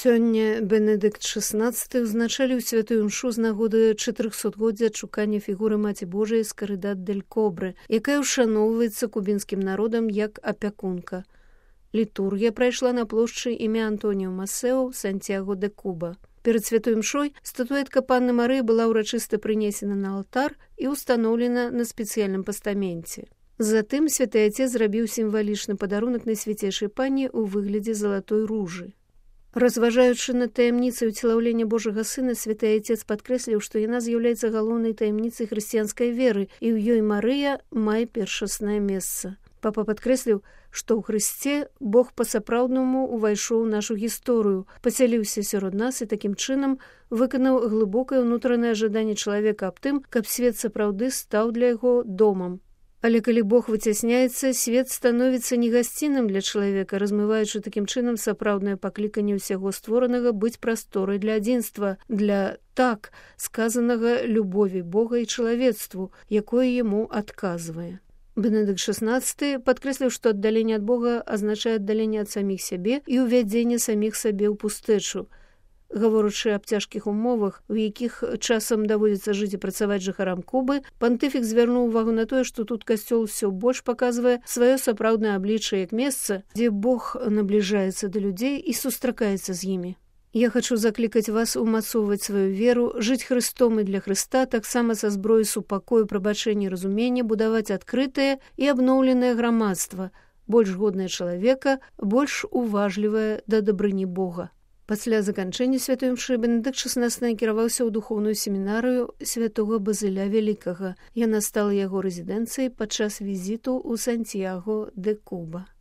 Сёння Бенедыкт XVI узначаліў святую імшу з нагоды 400-годдзя адшукання фігуры Маці Божай з Карыдат-дель-Кобры, якая ўшаноўваецца кубінскім народам як апякунка. Літургія прайшла на плошчы імя Антоніо Масео, Сантьяго де Куба. Перад святой імшой статуэтка Панны Марыі была ўрачыста прынесена на алтар і ўстаноўлена на спецыяльным пастаменце. Затым святы Ацец зрабіў сімвалічны падарунак Найсвяцейшай Панне ў выглядзе залатой ружы. Разважаючы над таямніцай уцелаўлення Божага Сына, святы Ацец падкрэсліў, што яна з'яўляецца галоўнай таямніцай хрысціянскай веры, і ў ёй Марыя мае першаснае месца. Папа падкрэсліў, што ў Хрысце Бог па-сапраўднаму ўвайшоў у нашу гісторыю, пасяліўся сярод нас і такім чынам выканаў глыбокае ўнутранае жаданне чалавека аб тым, каб свет сапраўды стаў для яго домам. Але калі Бог выцясняецца, свет становіцца негасцінным для чалавека, размываючы такім чынам сапраўднае пакліканне ўсяго створанага быць прасторай для адзінства, для так сказанага любові Бога і чалавецтву, якое яму адказвае. Бенедыкт XVI падкрэсліў, што аддаленне ад Бога азначае аддаленне ад саміх сябе і ўвядзенне саміх сабе ў пустэчу. Гаворачы аб цяжкіх умовах, у якіх часам даводзіцца жыць і працаваць жыхарам Кубы, пантыфік звярнуў увагу на тое, што тут касцёл усё больш паказвае сваё сапраўднае аблічча як месца, дзе Бог набліжаецца да людзей і сустракаецца з імі. Я хачу заклікаць вас умацоўваць сваю веру, жыць Хрыстом і для Хрыста, таксама са зброі супакою, прабачэння і разумення, будаваць адкрытае і абноўленае грамадства, больш годнае чалавека, больш уважлівае да дабрыні Бога. Пасля заканчэння святой імшы Бенедыкт XVI накіраваўся ў духоўную семінарыю святога Базыля Вялікага. Яна стала яго рэзідэнцыяй падчас візіту ў Сантьяго де Куба.